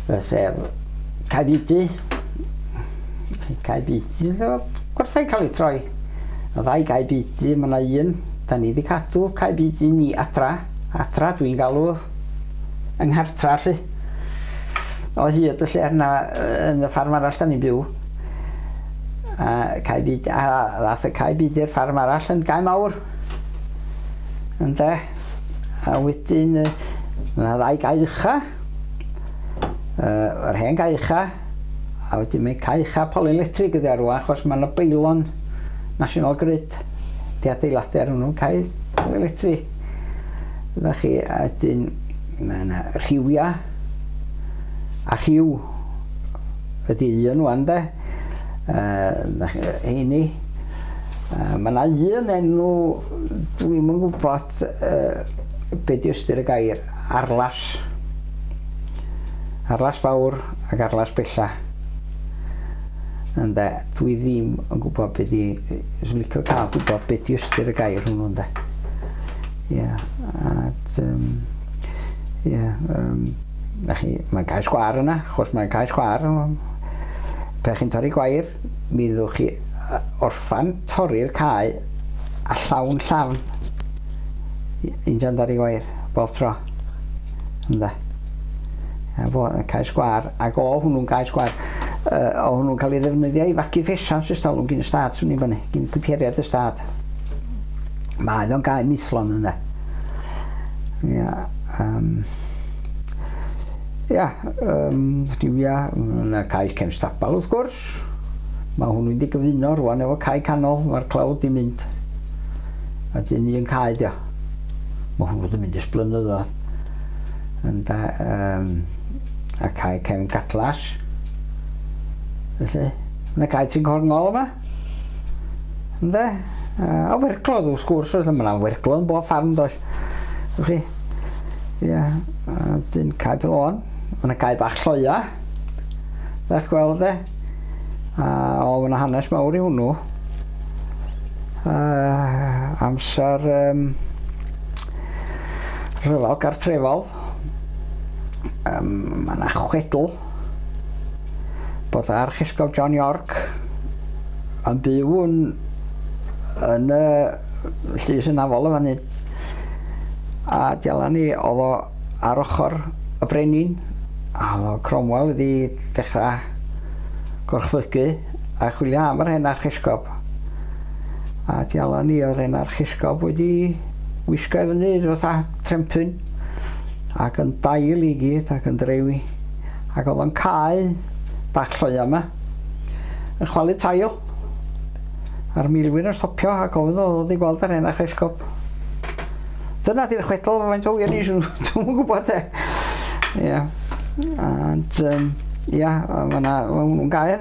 Sef Cae Beudy. Cae Beudy, gwerthau cael ei troi. Y ddau Gae Beudy, mae yna un, da ni wedi cadw Cae Beudy ni adra. Adra dwi'n galw yng nghartra, lly. O hyd y lle yna yn y ffarm arall da ni'n byw. A Cae Beudy, a ddath y Cae Beudy'r ffarm arall yn gae mawr. Ynde? A wedyn, yna ddau gae ucha. Yr hen gae ucha, a wedyn mae cae ucha Polylectric ydi ar rwan, achos mae yna beilon National Grid di adeiladu ar hwnnw, cae Polylectric. Ydych chi, a wedyn mae yna rhiwia a rhiw ydy un wan de. Heini. Mae yna un enw, dwi'm yn gwybod be di ystyr y gair, Arlas. Arlas Fawr ac Arlas Bella. Ynde, dwi ddim yn gwybod be di, swn licio cael gwybod be di ystyr y gair hwnnw, ynde. Ie, yeah, a, ie, yeah, na chi, mae'n cae sgwâr yna, achos mae'n cae sgwâr. Pe chi'n torri gwair, mi fyddwch chi orffan torri'r cae a llawn llafn. Injan dorri gwair, bob tro. Ynde. A bo, cae sgwâr, ac o hwnnw'n cae sgwâr, o hwnnw'n cael ei ddefnyddio i fagu ffesant ers talwm gyn y stad, swn i'n fyny, gyn cwperiad y stad. Mae o'n gae mithlon yna. Ia, ia, rhywia, yna cae cefn stabal wrth gwrs. Mae hwnnw wedi gyfuno rwan efo cae canol, mae'r clawdd di mynd. A dyn un cae dio. Mae hwnnw wedi mynd ers blynyddoedd. Ynde, a cae cefn Gadlas. Felly, yna cae ti'n corngol yma. Ynde? A werglodd wrth gwrs, oedd yma werglodd yn bob ffarm does. Wch chi? Ia, a dyn cae Pelon. Mae yna cae bach lloia. Ddech gweld e? A o, mae yna hanes mawr i hwnnw. Amser rhyfel gartrefol. Mae yna chwedl bod Archesgob John York yn byw yn y llys hynafol yma hyn. A dialan ni, oedd o ar ochr y brenin, a oedd o Cromwell wedi dechrau gorchfygu a chwilio am yr hen archesgob. A dialan ni, oedd yr hen archesgob wedi wisgo i fyny fatha trempyn ac yn dail i gyd ac yn drewi. Ac oedd o'n cae bach lloia yma yn chwalu tail. A'r milwyr yn stopio ac ofyn oedd wedi gweld yr hen archesgob. Dyna di'r chwedl, faint o wir ni, dwi'm yn gwybod de. Ia. And, ia, mae hwnnw'n gae